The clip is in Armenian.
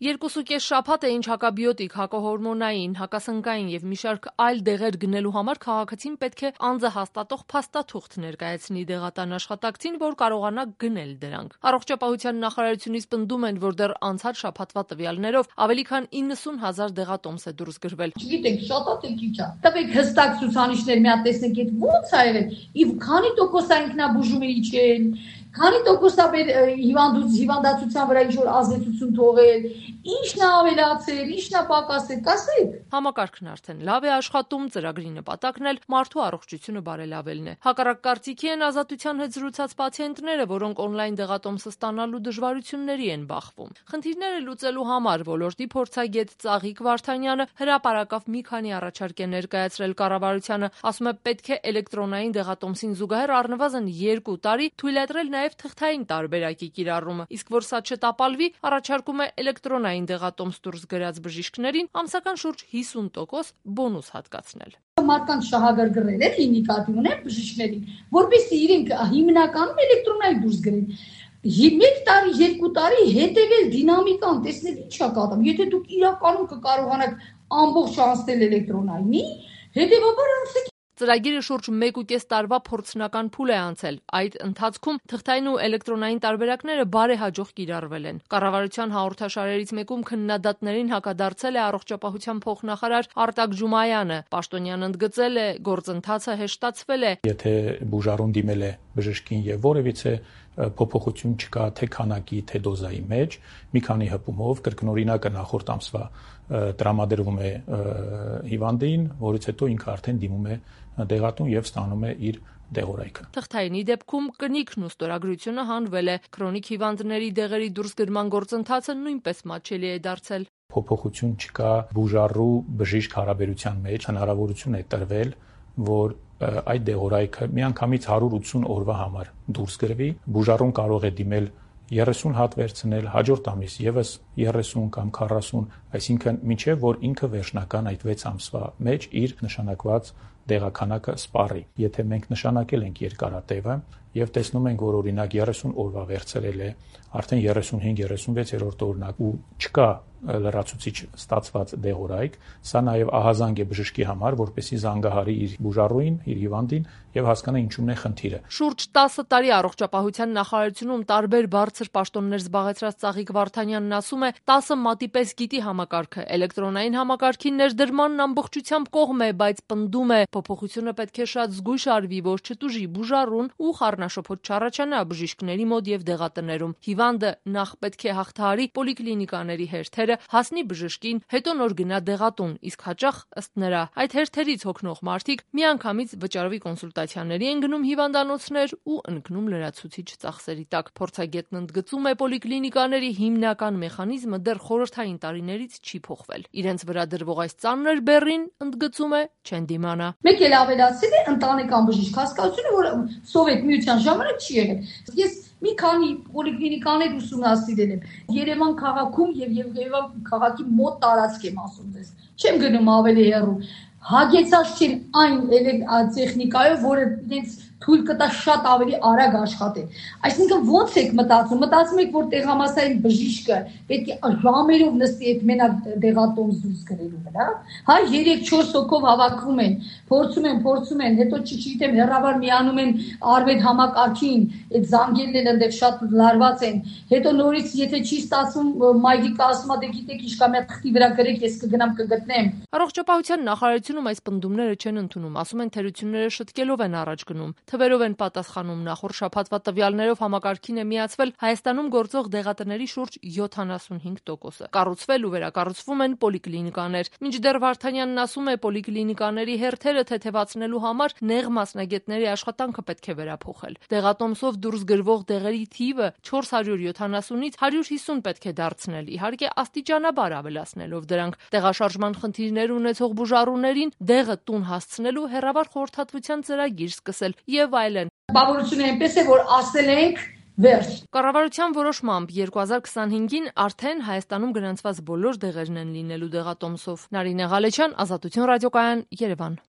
2.5 շաբաթ է ինչ հակաբիոտիկ, հակահորմոնային, հակասնկային եւ մի շարք այլ դեղեր գնելու համար քաղաքացին պետք է անձը հաստատող փաստաթուղթ ներկայացնի դեղատան աշխատակցին, որ կարողանա գնել դրանք։ Առողջապահության նախարարությունից պնդում են, որ դեռ անցած շաբաթվա տվյալներով ավելի քան 90,000 դեղատոմս է դուրս գրվել։ Չգիտեք, շատ է թե քիչ է։ Տվեք հստակ ցուցանիշներ, մի հատ տեսնենք, այդ ո՞նց է եղել։ Իվ քանի տոկոս է ինքնաբուժումը իջել, քանի տոկոս է հիվանդացության վրա ինչ-որ ազդեցություն թողել, ինչն է ավելացել, ինչն է պակասել, կասեք։ Համակարգն արդեն լավ է աշխատում, ծրագրի նպատակն էլ մարդու առողջությունը բարելավելն է։ Հակառակ կարծիքի են Ազատության հետ զրուցած պացիենտները, որոնք օնլայն դեղատոմսը ստանալու դժվարությունների են բախվում։ Խնդիրները լուծելու համար ոլորտի փորձագետ Ծաղիկ Վարդանյանը հրապարակավ մի քանի առաջարկ է ներկայացրել կառավարությանը, ասում է պետք է էլեկտրոնային դեղատոմսին զուգահեռ առնվազն 2 տարի թույլատրել նաև թղթային տարբերակի կիրառումը, իսկ որ սա չտապալվի, առաջարկում է էլեկտրոնային դեղատոմս դուրս գրած բժիշկներին ամսական շուրջ 50% բոնուս հատկացնել։ Մարդկանց շահագրգռել է նկատի ունեն բժիշկներին, որպեսզի իրենք հիմնականում էլեկտրոնային դուրս գրեն։ 1 տարի, 2 տարի հետևել դինամիկան, տեսնել ինչ է կատարում։ Եթե դուք իրականում կկարողանաք ամբողջ անցնել էլեկտրոնայինի, հետևաբար անցեք։ Ծրագիրը շուրջ 1.5 տարվա փորձնական փուլ է անցել։ Այդ ընթացքում թղթային ու էլեկտրոնային տարբերակները բարեհաջող կիրառվել են։ Կառավարության հաղորդաշարերից մեկում քննադատներին հակադարձել է առողջապահության փոխնախարար Արտակ Ջումայանը։ Պաշտոնյան ընդգծել է, գործընթացը հեշտացվել է։ Եթե բուժառուն դիմել է բժշկին եւ որևիցե փոփոխություն չկա թե քանակի, թե դոզայի մեջ, մի քանի հպումով կրկնօրինակը նախորդ ամսվա տրամադրվում է հիվանդին, որից հետո ինքը արդեն դիմում է դեղատուն եւ ստանում է իր դեղորայքը։ Թղթայինի դեպքում կնիքն ու ստորագրությունը հանվել է։ Քրոնիկ հիվանդների դեղերի դուրսգրման գործընթացը նույնպես մատչելի է դարձել։ Փոփոխություն չկա բուժառու բժիշկ հարաբերության մեջ, հնարավորություն է տրվել, որ այդ դեղորայքը միանգամից 180 օրվա համար դուրս գրվի, բուժառուն կարող է դիմել 30 հատ վերցնել, հաջորդ ամիս եւս 30 կամ 40, այսինքն մինչեւ որ ինքը վերջնական այդ 6 ամսվա մեջ իր նշանակված դեղաքանակը սպառի։ Եթե մենք նշանակել ենք երկարատևը եւ տեսնում ենք, որ օրինակ 30 օրվա վերցրել է, արդեն 35-36-րդ օրնակ ու չկա լրացուցիչ ստացված դեղորայք, սա նաեւ ահազանգ է բժշկի համար, որպեսզի զանգահարի իր բուժառուին, իր հիվանդին եւ հասկանա ինչումն է խնդիրը։ Շուրջ 10 տարի առողջապահության նախարարությունում տարբեր բարձր պաշտոններ զբաղեցրած Ծաղիկ Վարդանյանն ասում է, 10 մատի պես գիտի համակարգը, էլեկտրոնային համակարգի ներդրմանն ամբողջությամբ կողմ է, բայց պնդում է, փոփոխությունը պետք է շատ զգույշ արվի, որ չտուժի բուժառուն ու խառնաշփոթ չառաջանա բժիշկների մոտ եւ դեղատներում։ Հիվանդը նախ պետք է հաղթահարի պոլիկլինիկաների հերթերը, հասնի բժշկին, հետո նոր գնա դեղատուն, իսկ հաճախ ըստ նրա այդ հերթերից հոգնող մարդիկ միանգամից վճարովի կոնսուլտացիաների են գնում հիվանդանոցներ ու ընկնում լրացուցիչ ծախսերի տակ։ Փորձագետն ընդգծում է, պոլիկլինիկաների հիմնական մեխանիզմը դեռ խորհրդային տարիներից չի փոխվել։ Իրենց վրա դրվող այս ծանր բեռին, ընդգծում է, չեն դիմանա։ Մեկ էլ ավելացել է ընտանեկան բժիշկ հասկացությունը, որ սովետ միության ժամանակ չի եղել։ Ես մի քանի պոլիկլինիկաներ ուսումնասիրել եմ Երևան քաղաքում եւ Երևան քաղաքի մոտ տարածք եմ ասում ձեզ։ Չեմ գնում ավելի հեռու։ Հագեցած չեն այն տեխնիկայով, որը ինձ թույլ կտա շատ ավելի արագ աշխատել։ Այսինքն ո՞նց եք մտածում։ Մտածում եք, որ տեղամասային բժիշկը պետք է ժամերով նստի այդ մենակ դեղատոմս դուրս գրելու վրա։ Հա 3-4 հոգով հավաքվում են, փորձում են, հետո չգիտեմ հեռավար միանում են արվետ համակարգին, այդ զանգերն են այնտեղ շատ լարված են։ Հետո նորից եթե չի ստացվում, մայրիկը ասում է, դե գիտեք, ինչ կա մի թղթի վրա գրեք, ես կգնամ կգտնեմ։ Առողջապահության նախարարությունում այս պնդումները չեն ընդունում, ասում են թերությունները շտկելով են առաջ գնում։ Թվերով են պատասխանում, նախորդ շաբաթվա տվյալներով համակարգին է միացվել Հայաստանում գործող դեղատների շուրջ 75%-ը։ Կառուցվել ու վերակառուցվում են պոլիկլինիկաներ։ Մինչդեռ Վարդանյանն ասում է, պոլիկլինիկաների հերթերը թեթևացնելու համար նեղ մասնագետների աշխատանքը պետք է վերափոխել։ Դեղատոմսով դուրս գրվող դեղերի թիվը 470-ից 150 պետք է դարձնել, իհարկե աստիճանաբար ավելացնելով դրանք։ Տեղաշարժման խնդիրներ ունեցող բուժառուներին դեղը տուն հասցնելու հեռավար խորհրդատվության ծրագիր սկսել եւ այլն։ Բավարարությունը այնպես է, որ ասել ենք վերջ։ Կառավարության որոշմամբ 2025-ին արդեն Հայաստանում գրանցված բոլոր դեղերն են լինելու դեղատոմսով։ Նարինե Ղալեչյան, Ազատություն ռադիոկայան, Երևան։